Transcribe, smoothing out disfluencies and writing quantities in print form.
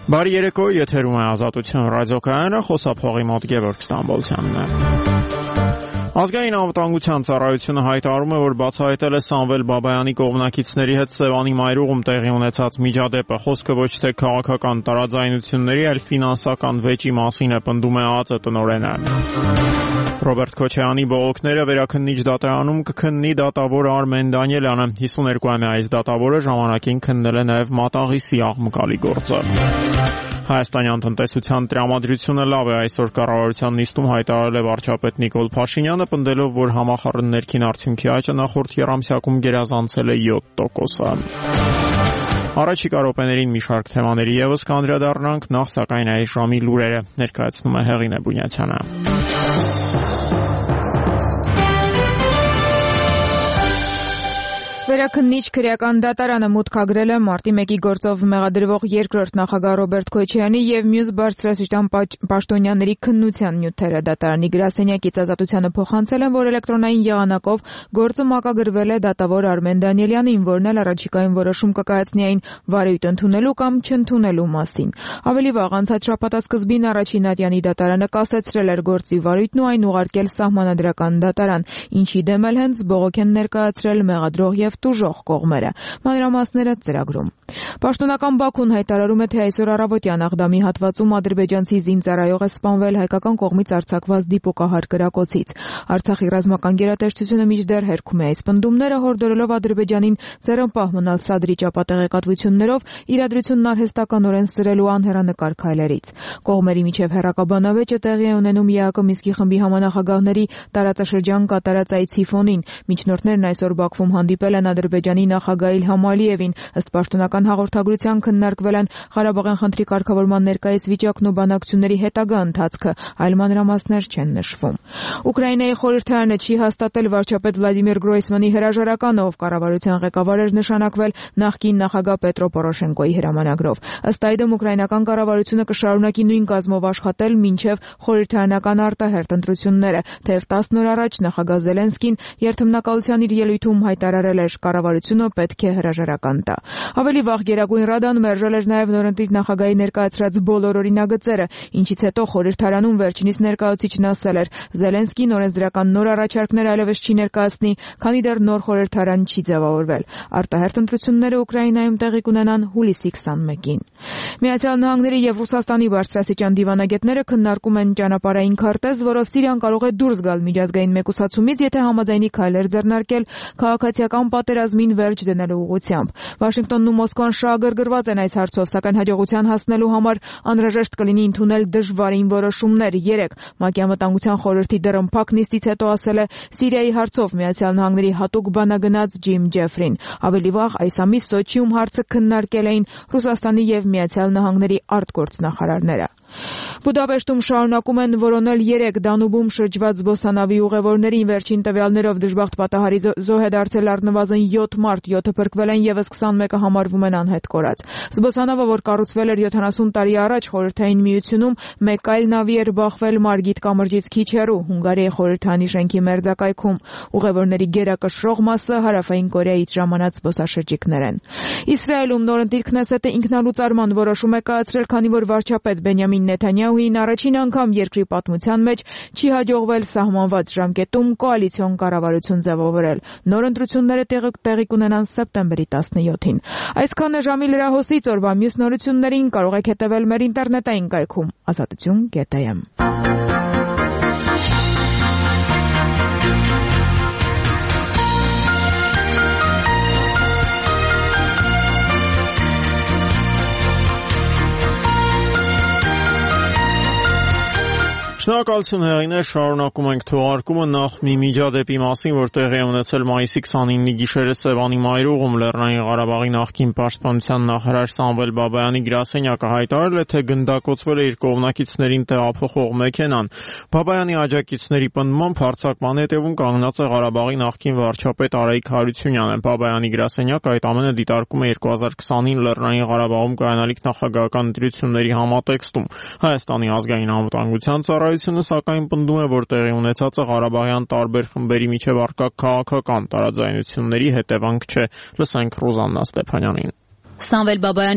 Բարի երեկո, եթերում է Ազատություն ռադիոկայանը, խոսափողի մոտ Գևորգ Ստամբոլցյանն է։ Ազգային անվտանգության ծառայությունը հայտարարում է, որ բացահայտել է Սամվել Բաբայանի կողմնակիցների հետ Սևանի մայրուղում տեղի ունեցած միջադեպը։ Խոսքը ոչ թե քաղաքական տարաձայնությունների, այլ ֆինանսական վեճի մասին է, պնդում է ԱԱԾ տնօրենը։ Ռոբերտ Քոչարյանի բողոքները վերաքննիչ դատարանում կքննի դատավոր Արմեն Դանիելյանը։ 52-ամյա այս դատավորը ժամանակին քննել է նաև Մատաղիսի աղմկալի գործը։ Հայաստանյան տնտեսության տրամադրությունը լավ է, այսօր կառավարության նիստում հայտարարել է վարչապետ Նիկոլ Փաշինյանը, պնդելով, որ համախառն ներքին արդյունքի աճը նախորդ եռամսյակում գերազանցել է 7%։ Առաջիկա րոպեներին մի շարք թեմաների ևս կանդրադառնանք, նախ սակայն այս ժամի լուրերը ներկայացնում է Հեղինե Բունյացյանը։ Վերաքննիչ քրեական դատարանը մուտքագրել է մարտի 1-ի գործով մեղադրվող երկրորդ նախագահ Ռոբերտ Քոչարյանի եւ մյուս բարձրաստիճան պաշտոնյաների քննության նյութերը։ Դատարանի գրասենյակից Ազատությանը փոխանցել են, որ էլեկտրոնային եղանակով գործը մակագրվել է դատավոր Արմեն Դանիելյանին, որն էլ առաջիկայում որոշում կկայացնի այն վարույթ ընդունելու կամ չընդունելու մասին։ Ավելի վաղ անցած շաբաթասկզբին առաջին ատյանի դատարանը կասեցրել էր գործի վարույթն ու այն ուղարկել սահմանադրական դատարան, ինչի դեմ էլ հենց բողոք են ներկայացրել մեղադրող եւ տուժող կողմերը։ Մանրամասները ծրագրում։ Պաշտոնական Բաքուն հայտարարում է, թե այսօր առավոտյան Աղդամի հատվածում ադրբեջանցի զինծառայող է սպանվել հայկական կողմից արձակված դիպուկահար կրակոցից։ Արցախի ռազմական գերատեսչությունը մինչդեռ հերքում է այս պնդումները, հորդորելով Ադրբեջանին ձեռնպահ մնալ Սադրի ճապատեղեկատվություններով իրադրությունն արհեստականորեն սրելու անհեռանկար քայլերից։ Կողմերի միջև հեռակաբանավեճը տեղի է ունենում ԵԱԿ Մինսկի խմբի համանախագահների տարածաշրջան կատարած այցի ֆոնին։ Միջնորդներն այսօր Բաքվում հանդիպել են Ադրբեջանի նախագահ Իլհամ Ալիևին։ Ըստ պաշտոնական հաղորդագրության քննարկվել են Ղարաբաղյան խնդրի կարգավորման ներկայիս վիճակն ու բանակցությունների հետագա ընթացքը, այլ մանրամասներ չեն նշվում։ Ուկրաինայի խորհրդարանը չի հաստատել վարչապետ Վլադիմիր Գրոյսմանի հրաժարականը, ով կառավարության ղեկավար էր նշանակվել նախկին նախագահ Պետրո Պորոշենկոյի հրամանագրով։ Ըստ այդմ ուկրաինական կառավարությունը կշարունակի նույն կազմով աշխատել մինչև խորհրդարանական արտահերթ ընտրությունները, թեև 10 օր առաջ նախագահ Զելենսկին երթմնակալության իր ելույթում հայտարարել էր, կառավարությունը պետք է հրաժարական տա։ Ավելի վաղ Գերագույն Ռադան մերժել էր նաև նորընտիր նախագահի ներկայացրած բոլոր օրինագծերը, ինչից հետո խորհրդարանում վերջինիս ներկայացուցիչն ասել էր, Զելենսկին օրենսդրական նոր առաջարկներ այլևս չի ներկայացնի, քանի դեռ նոր խորհրդարան չի ձևավորվել։ Արտահերթ ընտրությունները Ուկրաինայում տեղի կունենան հուլիսի 21-ին։ Միացյալ Նահանգների եւ Ռուսաստանի բարձրաստիճան դիվանագետները քննարկում են ճանապարհային քարտեզ, որով Սիրիան կարող է դուրս գալ միջազգային մեկուսացումից, եթե համաձայնի քայլեր ձեռնարկել քաղաքացիական պատերազմին վերջ դնելու ուղղությամբ։ Վաշինգտոնն ու Մոսկվան շահագրգռված են այս հարցով, սակայն հաջողության հասնելու համար անհրաժեշտ կլինի ընդունել դժվարին որոշումներ։ 3 ՄԱԿ-ի անվտանգության խորհրդի դռնփակ նիստից հետո ասել է Սիրիայի հարցով Միացյալ Նահանգների հատուկ բանագնաց Ջիմ Ջեֆրին։ Ավելի վաղ այս ամիս Սոչիում հարցը քննարկել էին Ռուսաստանի եւ Միացյալ Նահանգների արտգործնախարարները։ Բուդապեշտում շարունակում են որոնել 3 Դանուբում շրջված զբոսանավի ուղևորներին։ Վերջին տվյալներով դժբախտ պատահարի զոհ է դարձել առնվազն 7 մարդ, 7-ը փրկվել են, եւս 21-ը համարվում են անհետ կորած։ Զբոսանավը, որ կառուցվել էր 70 տարի առաջ Խորհրդային Միությունում, մեկ այլ նավի էր բախվել Մարգիտ կամրջից քիչ հեռու, Հունգարիայի խորհրդանի շենքի մերձակայքում։ Ուղևորների գերակշռող մասը Հարավային Կորեայից ժամանած զբոսաշրջիկներ են։ Իսրայելում նորընտիր Քնեսետը ինքնալուծարման որոշում է կայացրել, քանի որ վարչապետ Բենյամին Նեթանյահուին առաջին անգամ երկրի պատմության մեջ չի հաջողվել սահմանված ժամկետում կոալիցիոն կառավարություն ձևավորել։ Նոր ընտրությունները տեղի կունենան սեպտեմբերի 17-ին։ Այսքանը ժամի լրահոսից, օրվա մյուս նորություններին կարող եք հետևել մեր ինտերնետային կայքում azatutun.am։ Շնորհակալություն Հեղինե, շարունակում ենք թողարկումը նախ մի միջադեպի մասին, որ տեղի է ունեցել մայիսի 29-ի գիշերը Սևանի մայրուղում Լեռնային Ղարաբաղի նախկին պաշտպանության նախարար Սամվել Բաբայանի գրասենյակը հայտարարել է, թե գնդակոծվել է իր կողմնակիցներին տեղափոխող մեքենան։ Բաբայանի աջակիցների պնդմամբ հարձակման հետևում կանգնած է Ղարաբաղի նախկին վարչապետ Արայիկ Հարությունյանը։ Բաբայանի գրասենյակը այդ ամենը դիտարկում է 2020-ին Լեռնային Ղարաբաղում կայանալիք նախագահական ընտրությունների համատեքստում։ Հայաստանի ազգային անվտանգության ծառայությունը սակայն պնդում է, որ տեղի ունեցածը Ղարաբաղյան տարբեր խմբերի միջև առկա քաղաքական տարաձայնությունների հետևանք չէ։ Լսենք Ռուզաննա Ստեփանյանին։ Սամվել Բաբայանի